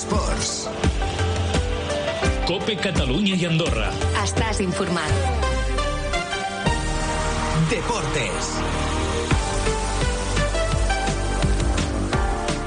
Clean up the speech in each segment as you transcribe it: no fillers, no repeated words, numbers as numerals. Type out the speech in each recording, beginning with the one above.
Esports. COPE Catalunya i Andorra. Estàs informat. Deportes.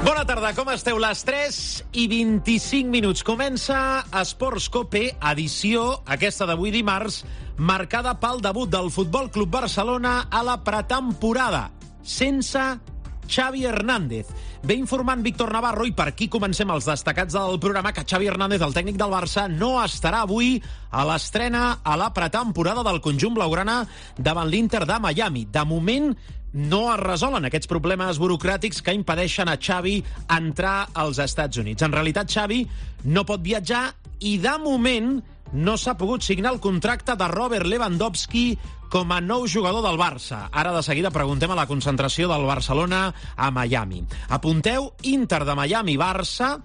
Bona tarda, com esteu? Les 3:25. Comença Esports COPE, edició, aquesta d'avui dimarts, marcada pel debut del Futbol Club Barcelona a la pretemporada, sense Xavi Hernández. Ve informant Víctor Navarro, i per aquí comencem els destacats del programa, que Xavi Hernández, el tècnic del Barça, no estarà avui a l'estrena a la pretemporada del conjunt blaugrana davant l'Inter de Miami. De moment no es resolen aquests problemes burocràtics que impedeixen a Xavi entrar als Estats Units. En realitat, Xavi no pot viatjar i, de moment, no s'ha pogut signar el contracte de Robert Lewandowski com a nou jugador del Barça. Ara, de seguida, preguntem a la concentració del Barcelona a Miami. Apunteu, Inter de Miami-Barça.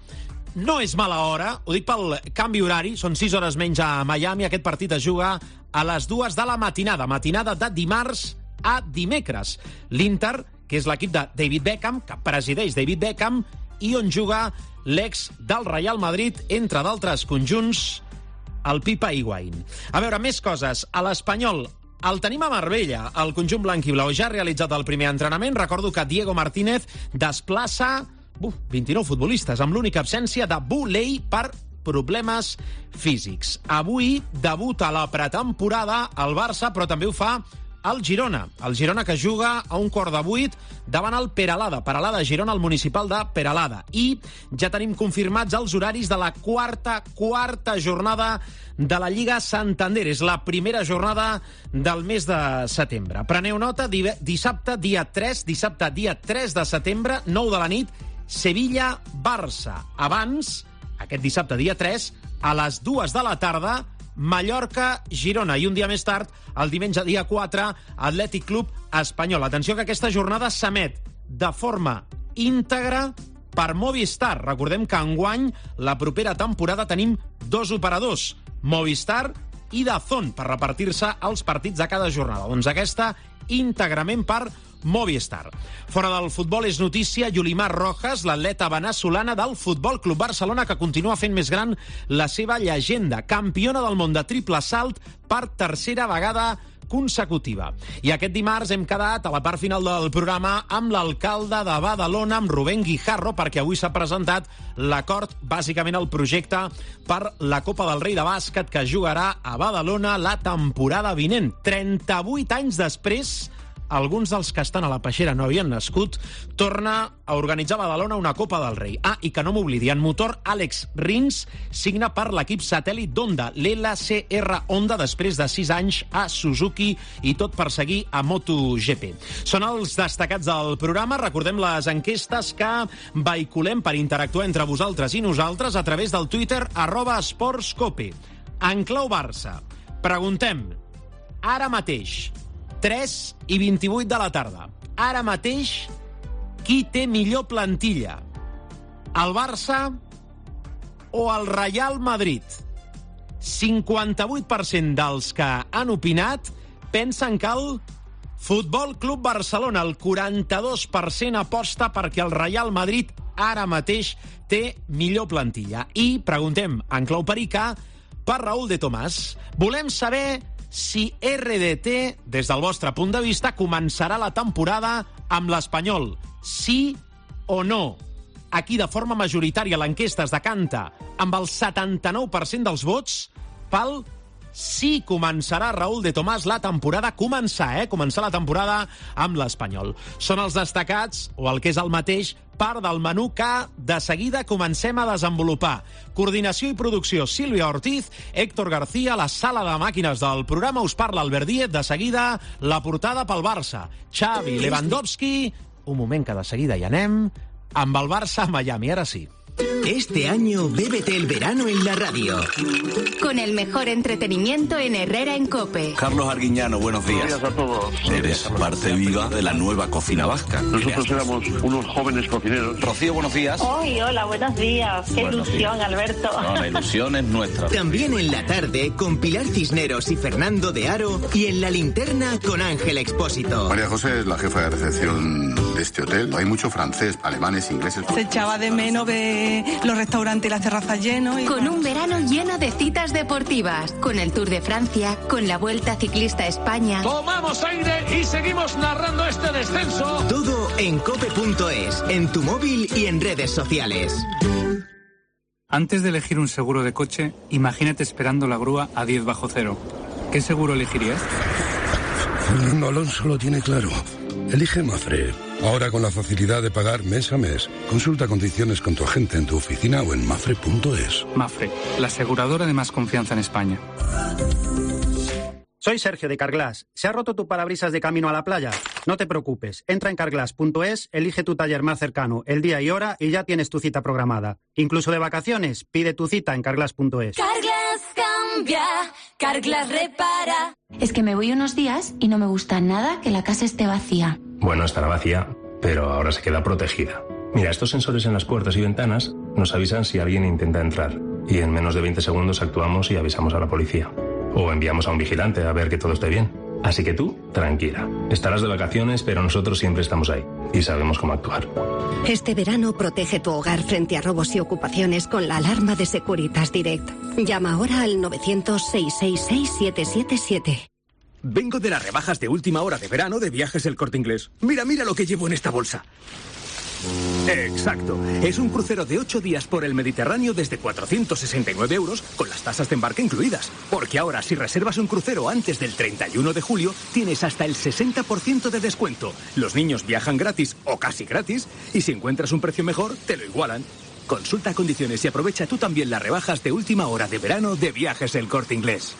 No és mala hora, ho dic pel canvi horari, són 6 hores menys a Miami. Aquest partit es juga a les 2 de la matinada de dimarts a dimecres. L'Inter, que és l'equip de David Beckham, que presideix David Beckham, i on juga l'ex del Real Madrid, entre d'altres conjunts, el Pipa Higuaín. A veure, més coses. A l'Espanyol, el tenim a Marbella. El conjunt blanc i blau ja ha realitzat el primer entrenament. Recordo que Diego Martínez desplaça 29 futbolistes, amb l'única absència de Boulay per problemes físics. Avui debuta a la pretemporada el Barça, però també ho fa el Girona. El Girona, que juga a 7:45 davant el Peralada. Peralada, Girona, el municipal de Peralada. I ja tenim confirmats els horaris de la quarta jornada de la Lliga Santander. És la primera jornada del mes de setembre. Preneu nota, dissabte, dia 3 de setembre, 9 de la nit, Sevilla-Barça. Abans, aquest dissabte, dia 3, a les 2 de la tarda, Mallorca-Girona. I un dia més tard, el diumenge, dia 4, Atlètic Club Espanyol. Atenció, que aquesta jornada s'emet de forma íntegra per Movistar. Recordem que enguany, la propera temporada, tenim 2 operadors, Movistar i DAZN, per repartir-se els partits de cada jornada. Doncs aquesta, íntegrament per Movistar. Fora del futbol és notícia Yulimar Rojas, l'atleta veneçolana del Futbol Club Barcelona, que continua fent més gran la seva llegenda. Campiona del món de triple salt per tercera vegada consecutiva. I aquest dimarts hem quedat a la part final del programa amb l'alcalde de Badalona, amb Rubén Guijarro, perquè avui s'ha presentat l'acord, bàsicament el projecte per la Copa del Rei de bàsquet, que jugarà a Badalona la temporada vinent. 38 anys després, alguns dels que estan a la peixera no havien nascut, torna a organitzar a Badalona una Copa del Rei. I que no m'oblidi, en motor, Àlex Rins signa per l'equip satèl·lit d'Honda, l'LCR Honda, després de 6 anys a Suzuki, i tot per seguir a MotoGP. Són els destacats del programa. Recordem les enquestes que vehiculem per interactuar entre vosaltres i nosaltres a través del Twitter @esportscope. En clau Barça, preguntem, ara mateix, 3:28 de la tarda. Ara mateix, qui té millor plantilla? El Barça o el Real Madrid? 58% dels que han opinat pensen que el Futbol Club Barcelona, el 42% aposta perquè el Real Madrid ara mateix té millor plantilla. I preguntem, en clau perica, per Raúl de Tomàs. Volem saber si RDT, des del vostre punt de vista, començarà la temporada amb l'Espanyol. Sí o no? Aquí, de forma majoritària, l'enquesta es decanta amb el 79% dels vots pel sí. Començarà Raúl de Tomàs la temporada, començar la temporada amb l'Espanyol. Són els destacats, o el que és el mateix, part del menú que de seguida comencem a desenvolupar. Coordinació i producció, Sílvia Ortiz, Héctor García, la sala de màquines del programa, us parla Albert Díez. De seguida, la portada pel Barça. Xavi, Lewandowski. Un moment, que de seguida hi anem amb el Barça a Miami, ara sí. Este año bébete el verano en la radio. Con el mejor entretenimiento en Herrera en COPE. Carlos Arguiñano, buenos días. Buenos días a todos. Eres parte viva de la nueva cocina vasca. Nosotros éramos unos jóvenes cocineros. Rocío, buenos días. Hola, buenos días. Qué ilusión, Alberto. No, la ilusión es nuestra. También en la tarde con Pilar Cisneros y Fernando de Aro, y en la linterna con Ángel Expósito. María José es la jefa de recepción de este hotel. Hay mucho francés, alemanes, ingleses. Se echaba de menos ver los restaurantes y las terrazas llenos. Con un verano lleno de citas deportivas, con el Tour de Francia, con la Vuelta Ciclista a España. Tomamos aire y seguimos narrando este descenso. Todo en cope.es, en tu móvil y en redes sociales. Antes de elegir un seguro de coche, imagínate esperando la grúa a 10 bajo cero. ¿Qué seguro elegirías? Fernando Alonso lo tiene claro. Elige Mafre. Ahora con la facilidad de pagar mes a mes. Consulta condiciones con tu agente en tu oficina o en mafre.es. Mafre, la aseguradora de más confianza en España. Soy Sergio de Carglass. ¿Se ha roto tu parabrisas de camino a la playa? No te preocupes. Entra en carglass.es, elige tu taller más cercano, el día y hora y ya tienes tu cita programada. Incluso de vacaciones, pide tu cita en carglass.es. Carglass cambia, Carglass repara. Es que me voy unos días y no me gusta nada que la casa esté vacía. Bueno, estará vacía, pero ahora se queda protegida. Mira, estos sensores en las puertas y ventanas nos avisan si alguien intenta entrar. Y en menos de 20 segundos actuamos y avisamos a la policía. O enviamos a un vigilante a ver que todo esté bien. Así que tú, tranquila. Estarás de vacaciones, pero nosotros siempre estamos ahí. Y sabemos cómo actuar. Este verano protege tu hogar frente a robos y ocupaciones con la alarma de Securitas Direct. Llama ahora al 900-666-777. Vengo de las rebajas de última hora de verano de Viajes El Corte Inglés. Mira lo que llevo en esta bolsa. Exacto. Es un crucero de 8 días por el Mediterráneo desde 469 euros con las tasas de embarque incluidas. Porque ahora, si reservas un crucero antes del 31 de julio, tienes hasta el 60% de descuento. Los niños viajan gratis o casi gratis y si encuentras un precio mejor, te lo igualan. Consulta condiciones y aprovecha tú también las rebajas de última hora de verano de Viajes El Corte Inglés.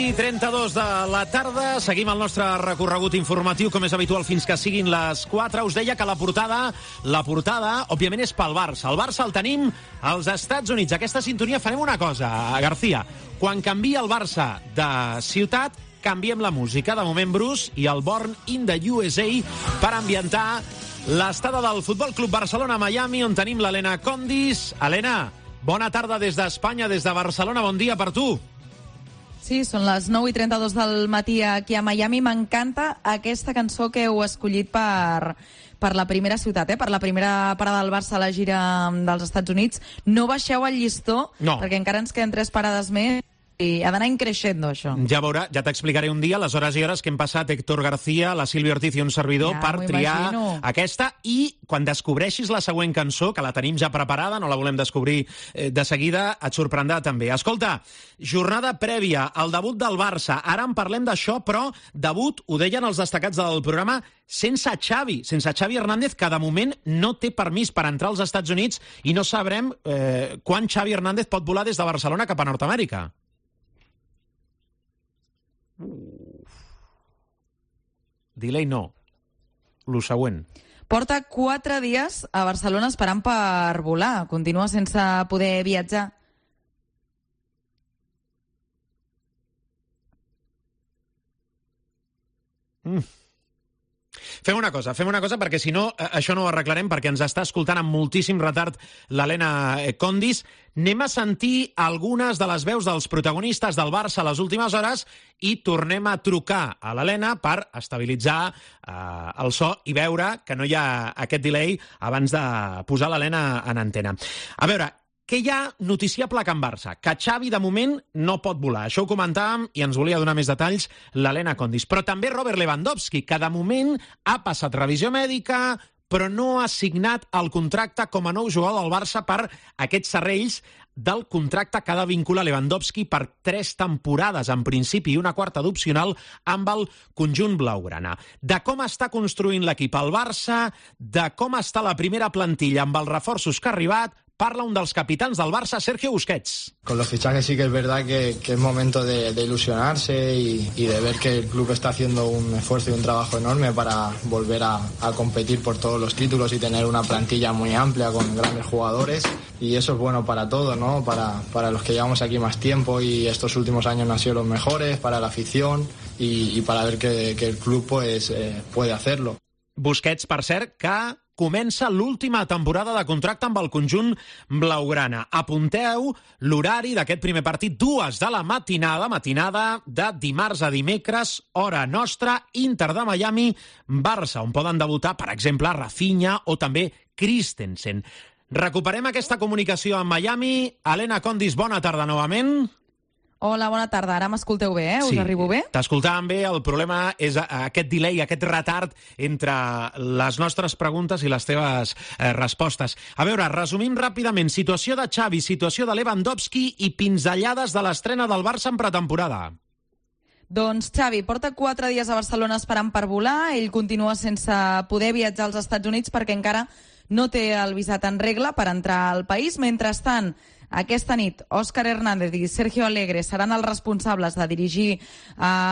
i 32 de la tarda. Seguim el nostre recorregut informatiu, com és habitual, fins que siguin les 4. Us deia que la portada, òbviament, és pel Barça. El Barça el tenim als Estats Units. Aquesta sintonia farem una cosa, García. Quan canvia el Barça de ciutat, canviem la música. De moment, Bruce i el Born in the USA per ambientar l'estada del Futbol Club Barcelona a Miami, on tenim l'Helena Condis. Helena, bona tarda des d'Espanya, des de Barcelona. Bon dia per tu. Sí, són les 9:32 del matí aquí a Miami. M'encanta aquesta cançó que heu escollit per la primera ciutat, per la primera parada del Barça a la gira dels Estats Units. No baixeu el llistó, perquè encara ens queden 3 parades més i ha d'anar increixendo, això. Ja veurà, ja t'explicaré un dia les hores i hores que hem passat Héctor García, la Sílvia Ortiz i un servidor per triar aquesta, i quan descobreixis la següent cançó, que la tenim ja preparada, no la volem descobrir de seguida, et sorprendrà també. Escolta, jornada prèvia al debut del Barça. Ara en parlem d'això, però debut, ho deien els destacats del programa, sense Xavi Hernández, que de moment no té permís per entrar als Estats Units i no sabrem quan Xavi Hernández pot volar des de Barcelona cap a Nord-Amèrica. Delay no. Lo següent. Porta 4 dies a Barcelona esperant per volar. Continua sense poder viatjar. Fem una cosa, perquè si no, això no ho arreglarem, perquè ens està escoltant amb moltíssim retard l'Helena Condis. Anem a sentir algunes de les veus dels protagonistes del Barça a les últimes hores i tornem a trucar a l'Helena per estabilitzar el so i veure que no hi ha aquest delay abans de posar l'Helena en antena. A veure, què hi ha noticiable a Can Barça? Que Xavi, de moment, no pot volar. Això ho comentàvem i ens volia donar més detalls l'Helena Condis. Però també Robert Lewandowski, que de moment ha passat revisió mèdica, però no ha signat el contracte com a nou jugador del Barça per aquests serrells del contracte que ha de vincular Lewandowski per 3 temporades, en principi, i una 4ª d'opcional amb el conjunt blaugrana. De com està construint l'equip al Barça, de com està la primera plantilla amb els reforços que ha arribat, parla un dels capitans del Barça, Sergio Busquets. Con los fichajes sí que es verdad que es momento de ilusionarse y de ver que el club está haciendo un esfuerzo y un trabajo enorme para volver a competir por todos los títulos y tener una plantilla muy amplia con grandes jugadores, y eso es bueno para todos, ¿no? Para los que llevamos aquí más tiempo y estos últimos años no han sido los mejores, para la afición y para ver que el club pues puede hacerlo. Busquets, per cert, que comença l'última temporada de contracte amb el conjunt blaugrana. Apunteu l'horari d'aquest primer partit, 2 de la matinada de dimarts a dimecres, hora nostra, Inter de Miami, Barça, on poden debutar, per exemple, Rafinha o també Christensen. Recuperem aquesta comunicació amb Miami. Helena Condis, bona tarda novament. Hola, bona tarda. Ara m'escolteu bé, Us arribo bé? T'escoltàvem bé. El problema és aquest delay, aquest retard entre les nostres preguntes i les teves respostes. A veure, resumim ràpidament. Situació de Xavi, situació de Lewandowski i pinzellades de l'estrena del Barça en pretemporada. Doncs Xavi porta 4 dies a Barcelona esperant per volar. Ell continua sense poder viatjar als Estats Units perquè encara no té el visat en regla per entrar al país. Mentrestant, aquesta nit, Òscar Hernández i Sergio Alegre seran els responsables de dirigir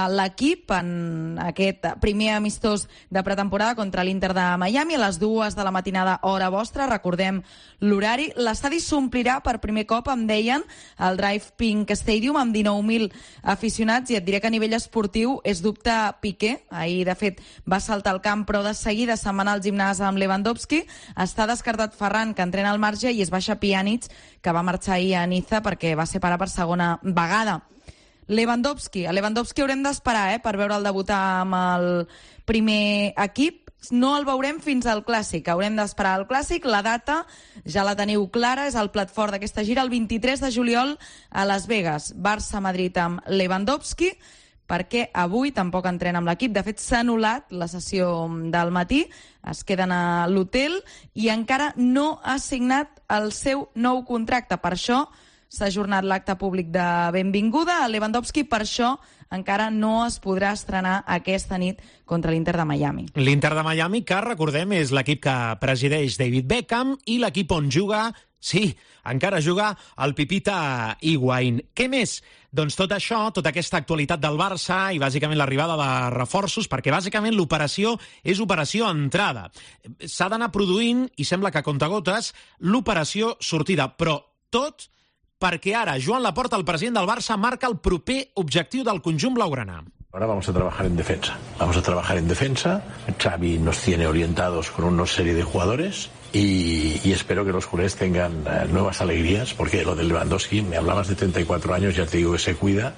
l'equip en aquest primer amistós de pretemporada contra l'Inter de Miami a les 2 de la matinada, hora vostra. Recordem l'horari. L'estadi s'omplirà per primer cop, em deien, al Drive Pink Stadium amb 19.000 aficionats, i et diré que a nivell esportiu és dubte Piqué. Ahir, de fet, va saltar al camp, però de seguida se'n va anar al gimnàs amb Lewandowski. Està descartat Ferran, que entrena al marge, i es baixa Pjanic, que va marxar ahir a Niza perquè va ser pare per segona vegada. Lewandowski. A Lewandowski haurem d'esperar per veure'l debutar amb el primer equip. No el veurem fins al Clàssic. Haurem d'esperar al Clàssic. La data ja la teniu clara, és el plat fort d'aquesta gira, el 23 de juliol a Las Vegas. Barça-Madrid amb Lewandowski, perquè avui tampoc entrena amb l'equip. De fet, s'ha anul·lat la sessió del matí, es queden a l'hotel i encara no ha signat el seu nou contracte. Per això s'ha ajornat l'acte públic de benvinguda a Lewandowski, per això encara no es podrà estrenar aquesta nit contra l'Inter de Miami. L'Inter de Miami, que recordem, és l'equip que presideix David Beckham i l'equip on juga, sí, encara juga el Pipita Higuaín. Què més? Doncs tot això, tota aquesta actualitat del Barça i bàsicament l'arribada de reforços, perquè bàsicament l'operació és operació entrada. S'ha d'anar produint, i sembla que a comptagotes, l'operació sortida, però tot perquè ara Joan Laporta, el president del Barça, marca el proper objectiu del conjunt blaugrana. Ahora vamos a trabajar en defensa. Vamos a trabajar en defensa. Xavi nos tiene orientados con una serie de jugadores y espero que los culés tengan nuevas alegrías, porque lo de Lewandowski, me hablabas de 34 años, ya te digo que se cuida,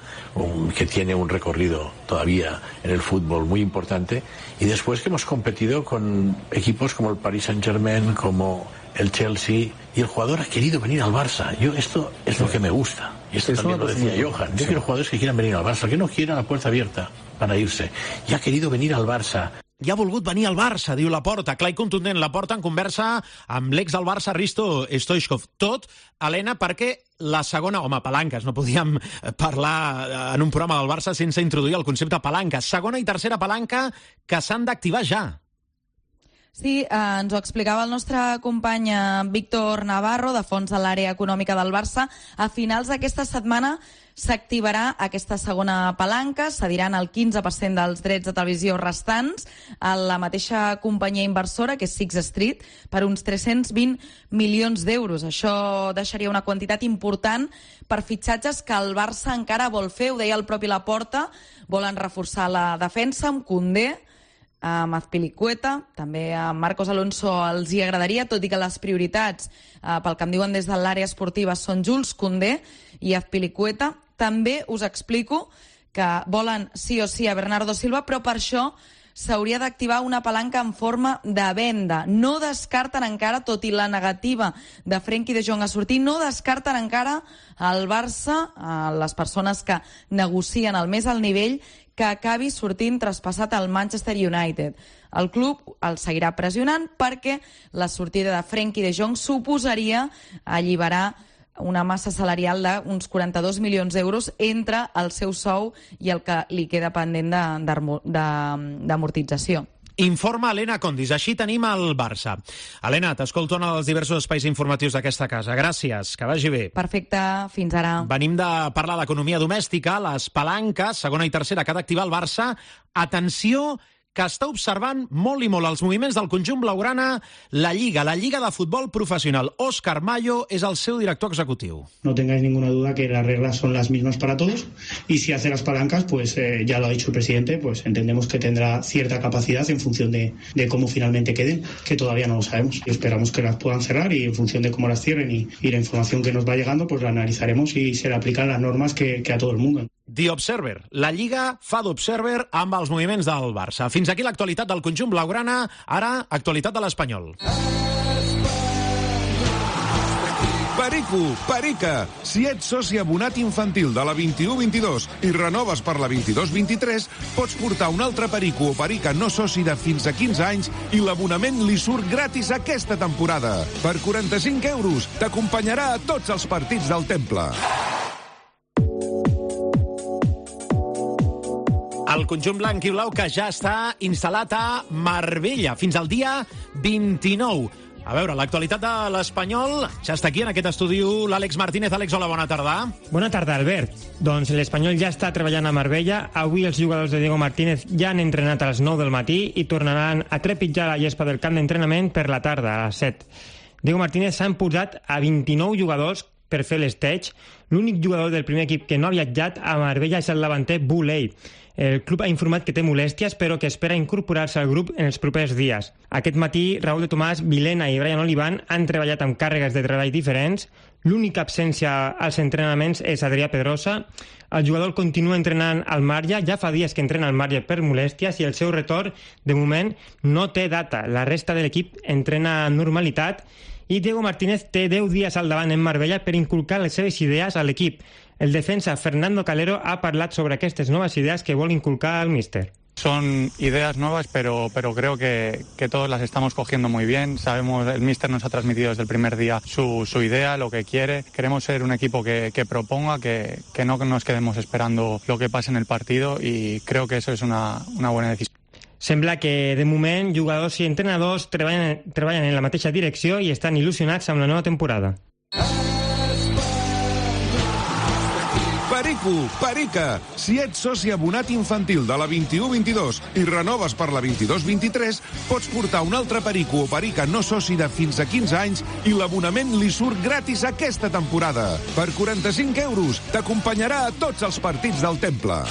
que tiene un recorrido todavía en el fútbol muy importante, y después que hemos competido con equipos como el Paris Saint-Germain, como el Chelsea, y el jugador ha querido venir al Barça. Esto es lo que me gusta. Y esto también lo decía Johan. Yo quiero jugadores que quieran venir al Barça, que no quieran la puerta abierta para irse. Y ha querido venir al Barça. I ha volgut venir al Barça, diu Laporta. Clar i contundent, Laporta en conversa amb l'ex del Barça, Risto Stoichkov. Tot, Helena, perquè la segona... Home, palanques, no podíem parlar en un programa del Barça sense introduir el concepte palanca. Segona i tercera palanca que s'han d'activar ja. Sí, ens ho explicava el nostre company Víctor Navarro, de fons de l'àrea econòmica del Barça. A finals d'aquesta setmana s'activarà aquesta segona palanca, cediran el 15% dels drets de televisió restants a la mateixa companyia inversora, que és Sixth Street, per uns 320 milions d'euros. Això deixaria una quantitat important per fitxatges que el Barça encara vol fer. Ho deia el propi Laporta, volen reforçar la defensa amb Koundé, amb Azpilicueta, també a Marcos Alonso els hi agradaria, tot i que les prioritats, pel que em diuen des de l'àrea esportiva, són Jules Koundé i Azpilicueta. També us explico que volen sí o sí a Bernardo Silva, però per això s'hauria d'activar una palanca en forma de venda. No descarten encara, tot i la negativa de Frenkie de Jong a sortir, no descarten encara al Barça, a les persones que negocien al més alt nivell, que acabi sortint traspassat al Manchester United. El club el seguirà pressionant perquè la sortida de Frenkie de Jong suposaria alliberar una massa salarial d'uns 42 milions d'euros entre el seu sou i el que li queda pendent d'amortització. Informa Helena Condis. Així tenim el Barça. Helena, t'escolto en els diversos espais informatius d'aquesta casa. Gràcies, que vagi bé. Perfecte, fins ara. Venim de parlar d'economia domèstica, les palanques, segona i tercera, que ha d'activar el Barça. Atenció, que està observant molt i molt els moviments del conjunt blaugrana la Lliga de Futbol Profesional. Óscar Mayo es el seu director executiu. No tengáis ninguna duda que las reglas son las mismas para todos y si hace las palancas, pues ya lo ha dicho el presidente, pues entendemos que tendrá cierta capacidad en función de cómo finalmente queden, que todavía no lo sabemos. Y esperamos que las puedan cerrar y en función de cómo las cierren y la información que nos va llegando, pues la analizaremos y se le aplican las normas que a todo el mundo. The Observer. La Lliga fa d'Observer amb els moviments del Barça. Fins aquí l'actualitat del conjunt blaugrana. Ara, actualitat de l'Espanyol. Perico, Perica. Si ets soci abonat infantil de la 21-22 i renoves per la 22-23, pots portar un altre Perico o Perica no soci de fins a 15 anys i l'abonament li surt gratis aquesta temporada. Per 45 euros t'acompanyarà a tots els partits del Temple. El conjunt blanc i blau que ja està instal·lat a Marbella fins al dia 29. A veure, l'actualitat de l'Espanyol ja està aquí en aquest estudi l'Àlex Martínez. Àlex, hola, bona tarda. Bona tarda, Albert. Doncs l'Espanyol ja està treballant a Marbella. Avui els jugadors de Diego Martínez ja han entrenat a les 9 del matí i tornaran a trepitjar la gespa del camp d'entrenament per la tarda, a les 7. Diego Martínez s'ha imposat a 29 jugadors per fer l'esteig. L'únic jugador del primer equip que no ha viatjat a Marbella és el davanter Boulay. El club ha informat que té molèsties, però que espera incorporar-se al grup en els propers dies. Aquest matí, Raúl de Tomàs, Vilena i Brian Olivan han treballat amb càrregues de treball diferents. L'única absència als entrenaments és Adrià Pedrosa. El jugador continua entrenant al marge, ja fa dies que entrena al marge per molèsties i el seu retorn, de moment, no té data. La resta de l'equip entrena amb normalitat i Diego Martínez té 10 dies al davant en Marbella per inculcar les seves idees a l'equip. El defensa Fernando Calero ha parlat sobre aquestes nuevas ideas que vuelve a inculcar al míster. Son ideas nuevas, pero creo que todos las estamos cogiendo muy bien. Sabemos, el míster nos ha transmitido desde el primer día su idea, lo que quiere. Queremos ser un equipo que proponga, que no nos quedemos esperando lo que pase en el partido y creo que eso es una buena decisión. Sembla que, de moment, jugadors i entrenadors treballen en la mateixa direcció i estan il·lusionats amb la nova temporada. Perico, Perica. Si ets soci abonat infantil de la 21-22 i renoves per la 22-23, pots portar un altre Perico o Perica no soci de fins a 15 anys i l'abonament li surt gratis aquesta temporada. Per 45 euros t'acompanyarà a tots els partits del Temple.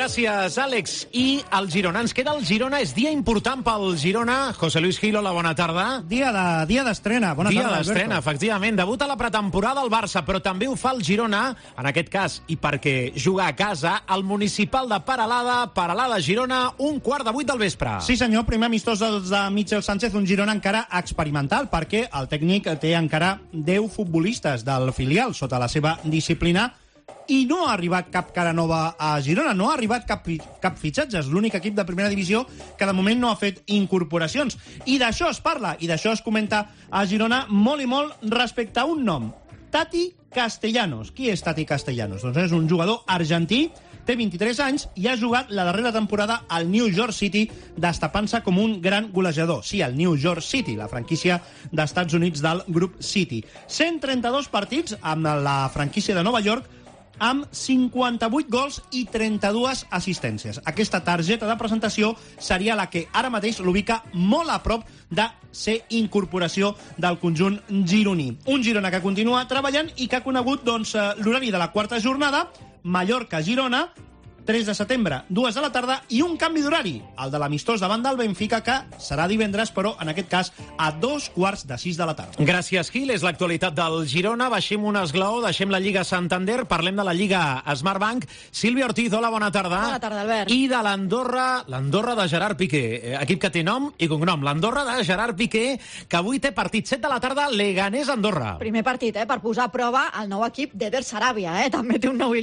Gràcies, Àlex. I el Girona. Ens queda el Girona. És dia important pel Girona. José Luis Gil, hola, bona tarda. Dia d'estrena. Bona tarda, Alberto. Dia d'estrena, efectivament. Debut a la pretemporada al Barça, però també ho fa el Girona, en aquest cas, i perquè juga a casa, el Municipal de Peralada, Girona, 7:15 del vespre. Sí, senyor. Primer amistós dels de Michel Sánchez, un Girona encara experimental, perquè el tècnic té encara 10 futbolistes del filial sota la seva disciplina i no ha arribat cap cara nova a Girona, no ha arribat cap fitxatge. És l'únic equip de primera divisió que de moment no ha fet incorporacions. I d'això es parla, i d'això es comenta a Girona molt i molt respecte a un nom, Tati Castellanos. Qui és Tati Castellanos? Doncs és un jugador argentí, té 23 anys i ha jugat la darrera temporada al New York City, destapant-se com un gran golejador. Sí, el New York City, la franquícia d'Estats Units del grup City. 132 partits amb la franquícia de Nova York, amb 58 gols i 32 assistències. Aquesta targeta de presentació seria la que ara mateix l'ubica molt a prop de ser incorporació del conjunt gironí. Un Girona que continua treballant i que ha conegut l'horari de la quarta jornada, Mallorca-Girona, 3 de setembre, 2 de la tarda, i un canvi d'horari, el de l'amistós davant del Benfica, que serà divendres, però en aquest cas a 5:45 de la tarda. Gràcies, Gil. És l'actualitat del Girona. Baixem un esglaó, deixem la Lliga Santander, parlem de la Lliga Smartbank. Sílvia Ortiz, hola, bona tarda. Bona tarda, Albert. I de l'Andorra de Gerard Piqué, equip que té nom i cognom. L'Andorra de Gerard Piqué, que avui té partit 7 de la tarda, Leganés-Andorra. Primer partit, per posar a prova el nou equip d'Eder Sarabia. També té un nom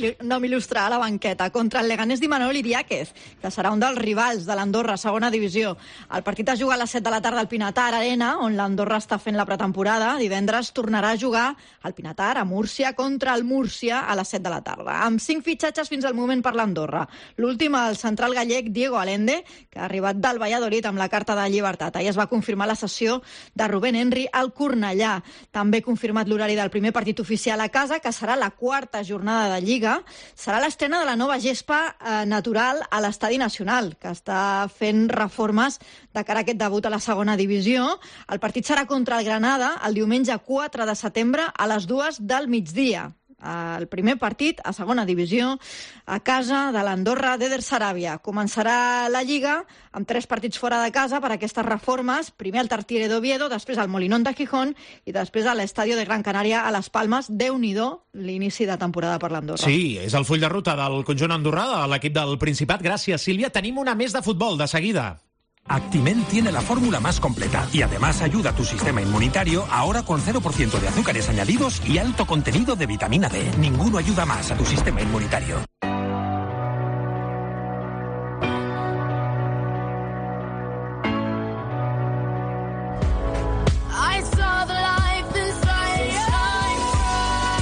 il·lustre a la banqueta contra el Leganés d'Imanol Iriáquez, que serà un dels rivals de l'Andorra, segona divisió. El partit es juga a les 7 de la tarda al Pinatar Arena, on l'Andorra està fent la pretemporada. Divendres tornarà a jugar al Pinatar, a Múrcia, contra el Múrcia a les 7 de la tarda. Amb 5 fitxatges fins al moment per l'Andorra. L'últim, el central gallec Diego Allende, que ha arribat del Valladolid amb la carta de llibertat. Ahir es va confirmar la cessió de Rubén Henry al Cornellà. També confirmat l'horari del primer partit oficial a casa, que serà la 4ª jornada de Lliga. Serà l'estrena de la nova gespa natural a l'Estadi Nacional, que està fent reformes de cara a aquest debut a la segona divisió. El partit serà contra el Granada el diumenge 4 de setembre a les 2 del migdia. El primer partit a segona divisió a casa de l'Andorra d'Eder Sarabia. Començarà la Lliga amb 3 partits fora de casa per aquestes reformes. Primer al Tartiere d'Oviedo, després al Molinón de Gijón i després a l'Estadio de Gran Canària a les Palmes. Déu-n'hi-do l'inici de temporada per l'Andorra. Sí, és el full de ruta del conjunt andorrà, de l'equip del Principat. Gràcies, Sílvia. Tenim una més de futbol, de seguida. Actimel tiene la fórmula más completa y además ayuda a tu sistema inmunitario ahora con 0% de azúcares añadidos y alto contenido de vitamina D. Ninguno ayuda más a tu sistema inmunitario.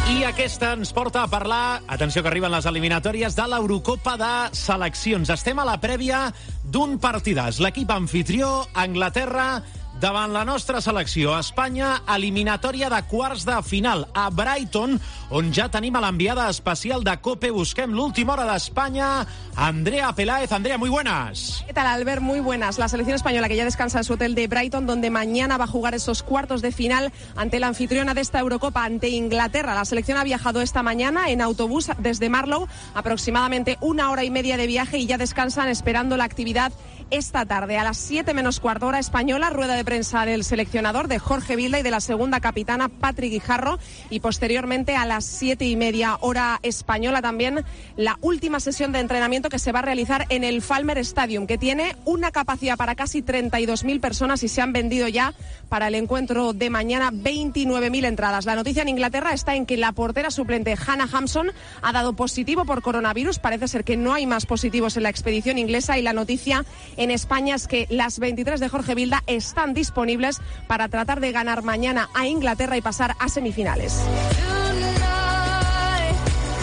I aquesta ens porta a parlar, atenció que arriben les eliminatòries de l'Eurocopa de seleccions. Estem a la prèvia d'un partidàs. L'equip anfitrió, Anglaterra, davant la nostra selecció. Espanya, eliminatòria de quarts de final a Brighton, on ja tenim a l'enviada especial de COPE. Busquem l'última hora d'Espanya, Andrea Peláez. Andrea, muy buenas. ¿Qué tal, Albert? Muy buenas. La selección española que ya descansa en su hotel de Brighton, donde mañana va a jugar esos cuartos de final ante la anfitriona de esta Eurocopa, ante Inglaterra. La selección ha viajado esta mañana en autobús desde Marlow, aproximadamente 1 hora y media de viaje, y ya descansan esperando la actividad esta tarde. A las 7 menos cuarto hora española, rueda de prensa del seleccionador, de Jorge Vilda, y de la segunda capitana, Patri Guijarro, y posteriormente a las 7:30 hora española también la última sesión de entrenamiento que se va a realizar en el Falmer Stadium, que tiene una capacidad para casi 32.000 personas y se han vendido ya para el encuentro de mañana 29.000 entradas. La noticia en Inglaterra está en que la portera suplente Hannah Hampson ha dado positivo por coronavirus. Parece ser que no hay más positivos en la expedición inglesa, y la noticia en España es que las 23 de Jorge Vilda están disponibles para tratar de ganar mañana a Inglaterra y pasar a semifinales.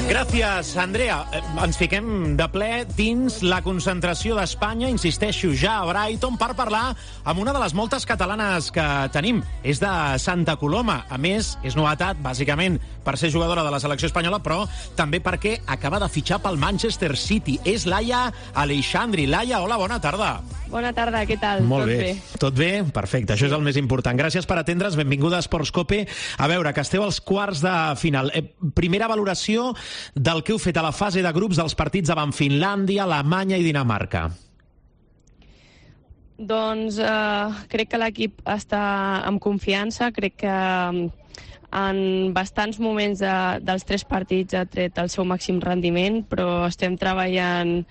Gràcies, Andrea. Ens fiquem de ple dins la concentració d'Espanya, insisteixo, ja a Brighton, per parlar amb una de les moltes catalanes que tenim. És de Santa Coloma. A més, és novetat, bàsicament, per ser jugadora de la selecció espanyola, però també perquè acaba de fitxar pel Manchester City. És Laia Aleixandri. Laia, hola, bona tarda. Bona tarda, què tal? Molt bé. Tot bé? Perfecte, això és el més important. Gràcies per atendre's, benvinguda a Esports Cope. A veure, que esteu als quarts de final. Primera valoració del que heu fet a la fase de grups dels partits davant Finlàndia, Alemanya i Dinamarca. Doncs crec que l'equip està amb confiança, crec que en bastants moments dels 3 partits ha tret el seu màxim rendiment, però estem treballant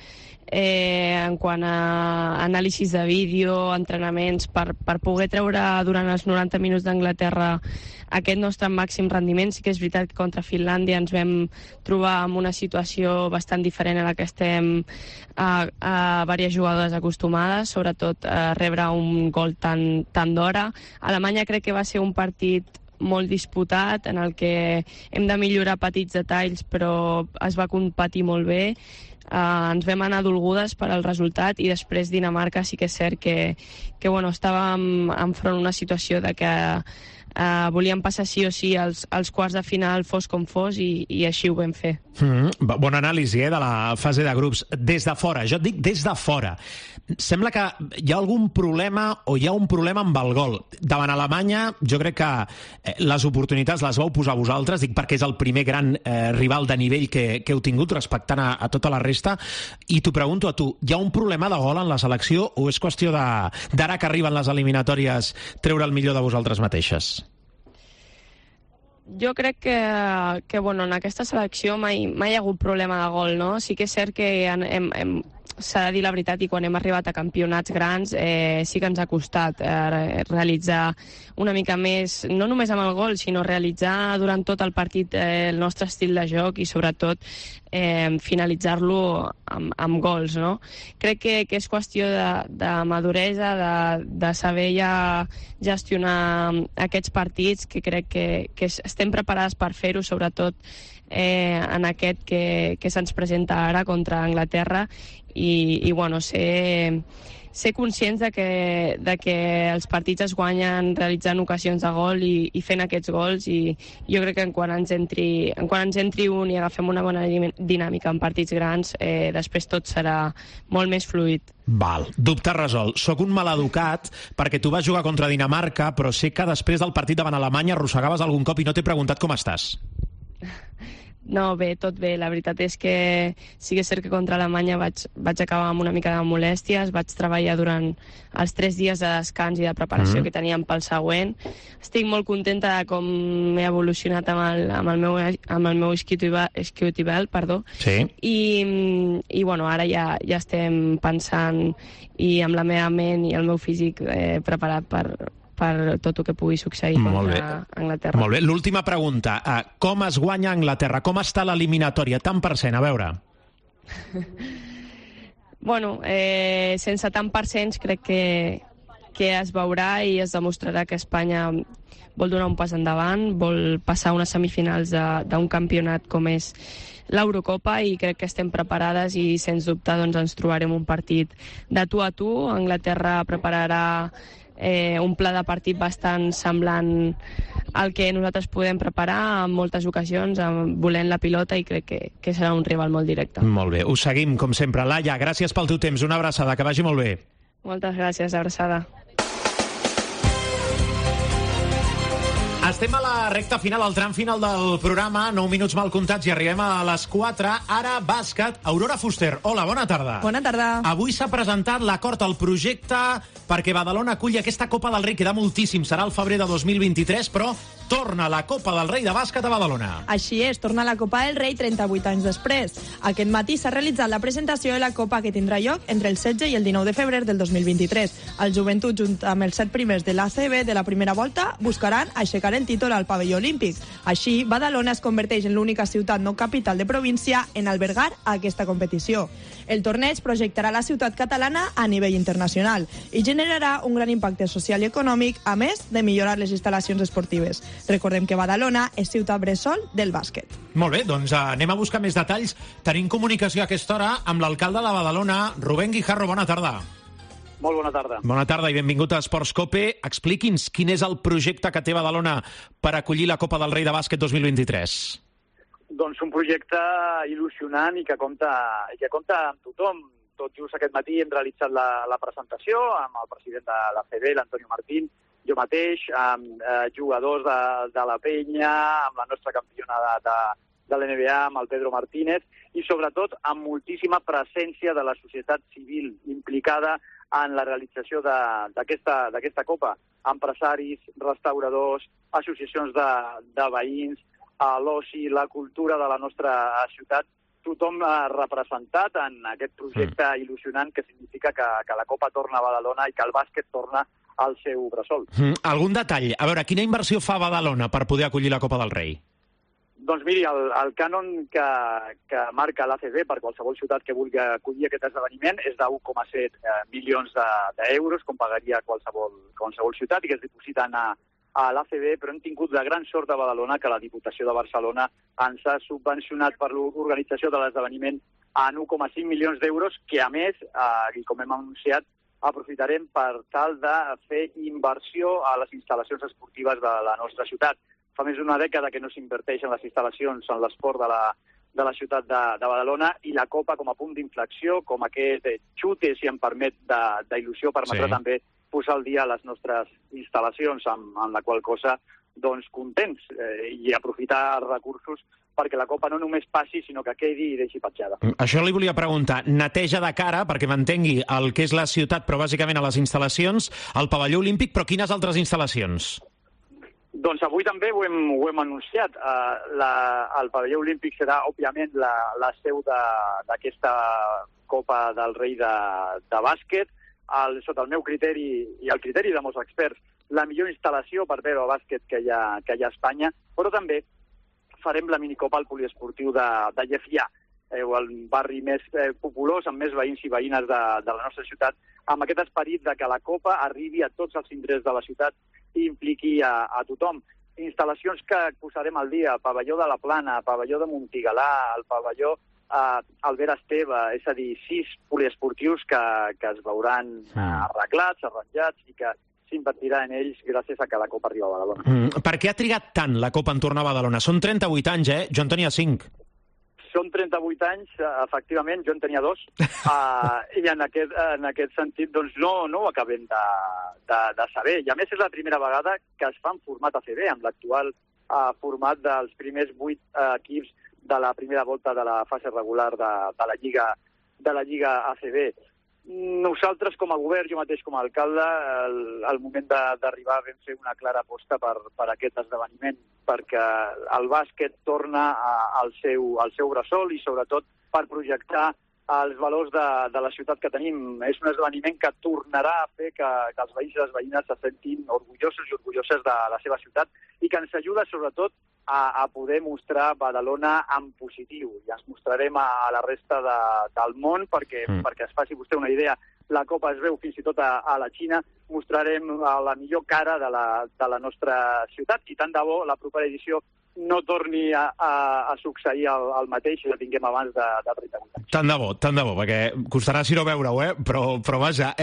en quant a anàlisis de vídeo, entrenaments, per poder treure durant els 90 minuts d'Anglaterra aquest nostre màxim rendiment. Sí que és veritat que contra Finlàndia ens vam trobar en una situació bastant diferent a la que estem a diverses jugadores acostumades, sobretot a rebre un gol tan d'hora. Alemanya crec que va ser un partit molt disputat, en el que hem de millorar petits detalls, però es va competir molt bé. Ens vam anar dolgudes per al resultat, i després Dinamarca sí que és cert que estàvem enfront una situació de que volíem passar sí o sí als quarts de final, fos com fos, i així ho vam fer. Bona anàlisi de la fase de grups. Des de fora, jo et dic des de fora, sembla que hi ha algun problema, o hi ha un problema amb el gol. Davant Alemanya, jo crec que les oportunitats les vau posar vosaltres, dic perquè és el primer gran rival de nivell que heu tingut, respectant a tota la resta, i t'ho pregunto a tu, hi ha un problema de gol en la selecció, o és qüestió d'ara que arriben les eliminatòries treure el millor de vosaltres mateixes? Jo crec que en aquesta selecció mai hi ha hagut problema de gol, no? Sí que és cert que s'ha de dir la veritat, i quan hem arribat a campionats grans sí que ens ha costat realitzar una mica més, no només amb el gol, sinó realitzar durant tot el partit el nostre estil de joc i sobretot finalitzar-lo amb gols, no? Crec que és qüestió de maduresa, de saber ja gestionar aquests partits, que crec que estem preparades per fer-ho, sobretot en aquest que se'ns presenta ara contra Anglaterra, i bueno, ser conscients de que els partits es guanyen realitzant ocasions de gol i fent aquests gols, i jo crec que quan ens entri un i agafem una bona dinàmica en partits grans, després tot serà molt més fluid. Val, dubte resolt. Soc un maleducat perquè tu vas jugar contra Dinamarca, però sé que després del partit davant Alemanya arrossegaves algun cop i no t'he preguntat com estàs. No, bé, tot bé. La veritat és que sí que és cert que contra Alemanya vaig acabar amb una mica de molèsties, vaig treballar durant els 3 dies de descans i de preparació que teníem pel següent. Estic molt contenta de com he evolucionat amb el meu isquiotibial, perdó. Sí. I bueno, ara ja estem pensant i amb la meva ment i el meu físic preparat per tot el que pugui succeir contra Anglaterra. Molt bé. L'última pregunta. Com es guanya Anglaterra? Com està l'eliminatòria? Tant per cent, a veure. Bueno, sense tant per cents crec que es veurà i es demostrarà que Espanya vol donar un pas endavant, vol passar unes semifinals d'un campionat com és l'Eurocopa, i crec que estem preparades i sens dubte ens trobarem un partit de tu a tu. Anglaterra prepararà un pla de partit bastant semblant al que nosaltres podem preparar en moltes ocasions, volent la pilota, i crec que serà un rival molt directe. Molt bé, us seguim com sempre. Laia, gràcies pel teu temps, una abraçada, que vagi molt bé. Moltes gràcies, abraçada. Estem a la recta final, al tram final del programa, 9 minuts mal comptats i arribem a les 4. Ara, bàsquet. Aurora Fuster, hola, bona tarda. Bona tarda. Avui s'ha presentat l'acord al projecte perquè Badalona aculli aquesta Copa del Rei. Queda moltíssim, serà el febrer de 2023, però torna la Copa del Rei de bàsquet a Badalona. Així és, torna la Copa del Rei 38 anys després. Aquest matí s'ha realitzat la presentació de la Copa, que tindrà lloc entre el 16 i el 19 de febrer del 2023. El Joventut, junt amb els 7 primers de l'ACB de la primera volta, buscaran aixecar el títol al pavelló olímpic. Així, Badalona es converteix en l'única ciutat no capital de província en albergar aquesta competició. El torneig projectarà la ciutat catalana a nivell internacional i generarà un gran impacte social i econòmic, a més de millorar les instal·lacions esportives. Recordem que Badalona és ciutat bressol del bàsquet. Molt bé, doncs anem a buscar més detalls. Tenim comunicació a aquesta hora amb l'alcalde de Badalona, Rubén Guijarro. Bona tarda. Molt bona tarda. Bona tarda i benvingut a Esports COPE. Expliqui'ns quin és el projecte que té Badalona per acollir la Copa del Rei de bàsquet 2023. Doncs un projecte il·lusionant i que compta amb tothom. Tot just aquest matí hem realitzat la presentació amb el president de l'ACB, l'Antonio Martín, jo mateix, amb jugadors de la Penya, amb la nostra campiona de l'NBA, amb el Pedro Martínez, i sobretot amb moltíssima presència de la societat civil implicada en la realització d'aquesta Copa. Empresaris, restauradors, associacions de veïns, l'oci, la cultura de la nostra ciutat, tothom representat en aquest projecte il·lusionant que significa que la Copa torna a Badalona i que el bàsquet torna al seu bressol. Algun detall? A veure, quina inversió fa Badalona per poder acollir la Copa del Rei? Doncs miri, el cànon que marca l'ACB per qualsevol ciutat que vulgui acollir aquest esdeveniment és de 1,7 milions d'euros, com pagaria qualsevol ciutat, i que es dipositen a l'ACB, però hem tingut la gran sort de Badalona que la Diputació de Barcelona ens ha subvencionat per l'organització de l'esdeveniment en 1,5 milions d'euros, que a més, i com hem anunciat, aprofitarem per tal de fer inversió a les instal·lacions esportives de la nostra ciutat. Fa més d'una dècada que no s'inverteix en les instal·lacions, en l'esport de la ciutat de Badalona, i la Copa com a punt d'inflexió, com aquest xute, si em permet, d'il·lusió, permetrà també posar al dia les nostres instal·lacions, amb la qual cosa, doncs, contents i aprofitar els recursos perquè la Copa no només passi, sinó que quedi i deixi petjada. Això li volia preguntar. Neteja de cara, perquè m'entengui el que és la ciutat, però bàsicament a les instal·lacions, el pavelló olímpic, però quines altres instal·lacions? Doncs avui també ho hem anunciat. El pavelló olímpic serà, òbviament, la seu d'aquesta Copa del Rei de bàsquet. Sota el meu criteri i el criteri de molts experts, la millor instal·lació per veure el bàsquet que hi ha a Espanya, però també farem la minicopa al poliesportiu de Llefià, el barri més populós, amb més veïns i veïnes de la nostra ciutat, amb aquest esperit de que la Copa arribi a tots els indrets de la ciutat i impliqui a tothom. Instal·lacions que posarem al dia, pavelló de la Plana, pavelló de Montigalà, el pavelló Albert Esteve, és a dir, 6 poliesportius que es veuran arreglats, arranjats i que s'invertirà en ells gràcies a que la Copa arriba a Badalona. Per què ha trigat tant la Copa en tornar a Badalona? Són 38 anys, Jo en tenia 5. Són 38 anys, efectivament, jo en tenia 2, i en aquest sentit doncs, no ho acabem de saber. I a més és la primera vegada que es fa en format ACB, amb l'actual format dels primers 8 equips de la primera volta de la fase regular de la Lliga ACB. Nosaltres, com a govern, jo mateix com a alcalde, al moment d'arribar vam fer una clara aposta per aquest esdeveniment, perquè el bàsquet torna al seu bressol i, sobretot, per projectar els valors de la ciutat que tenim. És un esdeveniment que tornarà a fer que els veïns i les veïnes se sentin orgullosos i orgulloses de la seva ciutat i que ens ajuda, sobretot, a poder mostrar Badalona en positiu. I ens mostrarem a la resta del món perquè es faci vostè una idea. La Copa es veu fins i tot a la Xina. Mostrarem la millor cara de la nostra ciutat i tant de bo la propera edició no torni a succeir el mateix si la tinguem abans de 38 anys. Tant de bo, perquè costarà si no veure-ho, però vaja.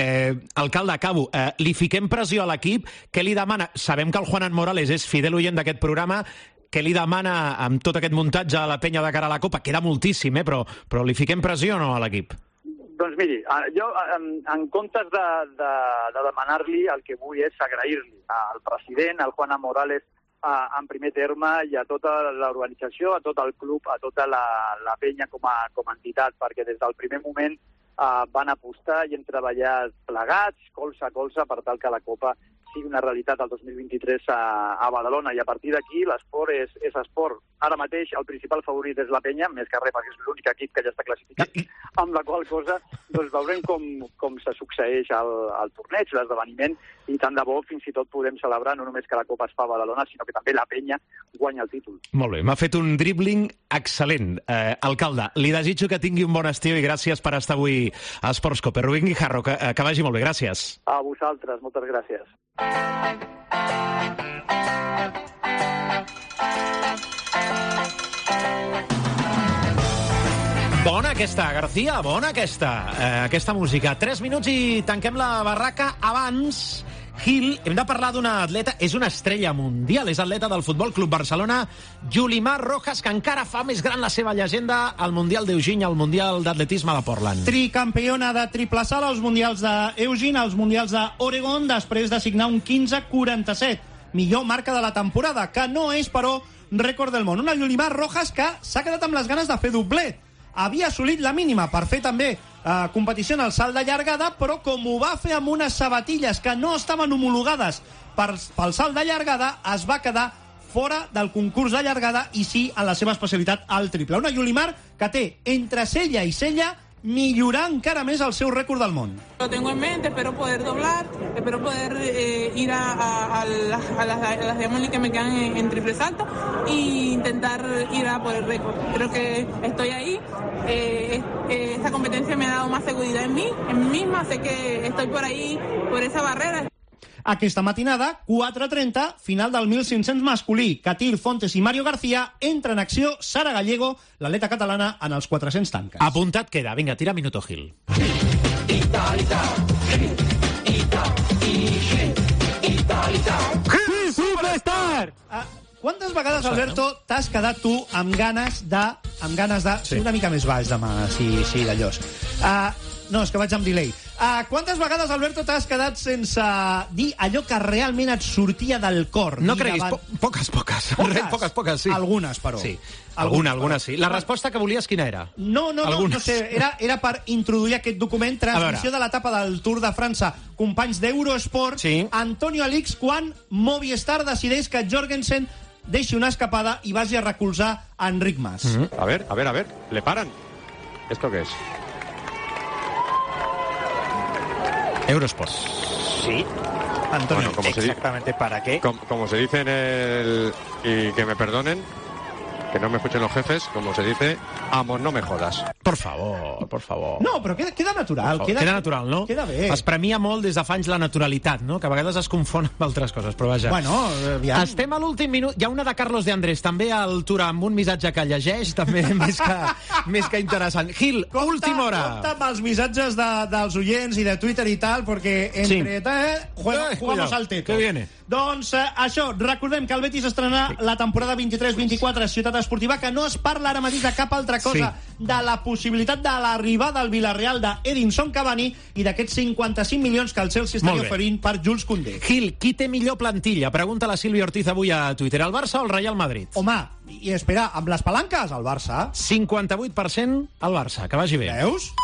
Alcalde, acabo. Li fiquem pressió a l'equip. Què li demana? Sabem que el Juanan Morales és fidel oient d'aquest programa. Què li demana amb tot aquest muntatge a la penya de cara a la Copa? Queda moltíssim, però li fiquem pressió o no a l'equip? Doncs miri, jo en comptes de demanar-li, el que vull és agrair-li al president, al Juanan Morales, en primer terme, i a tota l'organització, a tot el club, a tota la penya com a entitat, perquè des del primer moment van apostar i hem treballat plegats, colze a colze, per tal que la Copa sigui una realitat el 2023 a Badalona. I a partir d'aquí l'esport és esport. Ara mateix el principal favorit és la penya, més que res perquè és l'únic equip que ja està classificat, amb la qual cosa doncs veurem com se succeeix el torneig, l'esdeveniment, i tant de bo fins i tot podem celebrar no només que la Copa es fa a Badalona, sinó que també la penya guanya el títol. Molt bé, m'ha fet un dribbling excel·lent. Alcalde, li desitjo que tingui un bon estiu i gràcies per estar avui a Sports Cope. Rubén Guijarro, que vagi molt bé, gràcies. A vosaltres, moltes gràcies. Bona aquesta, García, bona aquesta música. 3 minuts i tanquem la barraca. Abans, Gil, hem de parlar d'una atleta, és una estrella mundial, és atleta del Futbol Club Barcelona, Yulimar Rojas, que encara fa més gran la seva llegenda al Mundial d'Eugene, al Mundial d'Atletisme de Portland. Tricampiona de triple salt als Mundials d'Eugene, als Mundials d'Oregon, després de signar un 15:47. Millor marca de la temporada, que no és, però, rècord del món. Una Yulimar Rojas que s'ha quedat amb les ganes de fer doblet. Havia assolit la mínima per fer també competició en el salt de llargada, però com ho va fer amb unes sabatilles que no estaven homologades pel salt de llargada, es va quedar fora del concurs de llargada i sí en la seva especialitat al triple. Una Yulimar que té entre cella i cella millorar encara més el seu rècord del món. Lo tengo en mente, espero poder doblar, espero poder ir a las diamonds que me quedan en triple salto e intentar ir a por el récord. Creo que estoy ahí. Esta competencia me ha dado más seguridad en mí misma, sé que estoy por ahí, por esa barrera. Aquesta matinada, 4:30, final del 1500 masculí. Catil Fontes i Mario García entra en acció Sara Gallego, l'atleta catalana, en els 400 tanques. Apuntat queda. Vinga, tira Minuto Gil. Gil Superstar! Quantes vegades, Alberto, t'has quedat tu amb ganes de ser una mica més baix demà, si d'allòs? No, és que vaig amb delay. Quantes vegades, Alberto, t'has quedat sense dir allò que realment et sortia del cor? No creguis, poques. Poques, sí. Algunes, però. Sí, algunes sí. La resposta que volies quina era? No sé, era per introduir aquest document, transmissió de l'etapa del Tour de França, companys d'Eurosport, Antonio Alix, quan Movistar decideix que Jorgensen deixi una escapada i vagi a recolzar a Enric Mas. A ver, le paran. ¿Esto qué es? Eurosport. Sí. Antonio, bueno, exactamente ¿para qué? Como se dice en el... Y que me perdonen, que no me escuchen los jefes, como se dice, amo, no me jodas. Por favor. No, però queda natural. Queda natural, no? Queda bé. Es premia molt des de fa anys la naturalitat, no? Que a vegades es confon amb altres coses, però vaja. Bueno, aviam. Estem a l'últim minut. Hi ha una de Carlos de Andrés, també al Tour, amb un missatge que llegeix, també més que interessant. Gil, última hora. Compte amb els missatges dels oients i de Twitter i tal, perquè entre jugamos al teto. Que viene. Doncs això, recordem que el Betis estrenarà la temporada 23-24 a Ciutat Esportiva, que no es parla ara mateix de cap altra cosa, de la possibilitat de l'arribada al Villarreal d'Edinson Cavani i d'aquests 55 milions que el Chelsea estaria oferint per Jules Koundé. Gil, qui té millor plantilla? Pregunta la Sílvia Ortiz avui a Twitter. El Barça o el Real Madrid? Home, i espera, amb les palanques, el Barça. 58% al Barça, que vagi bé. Veus?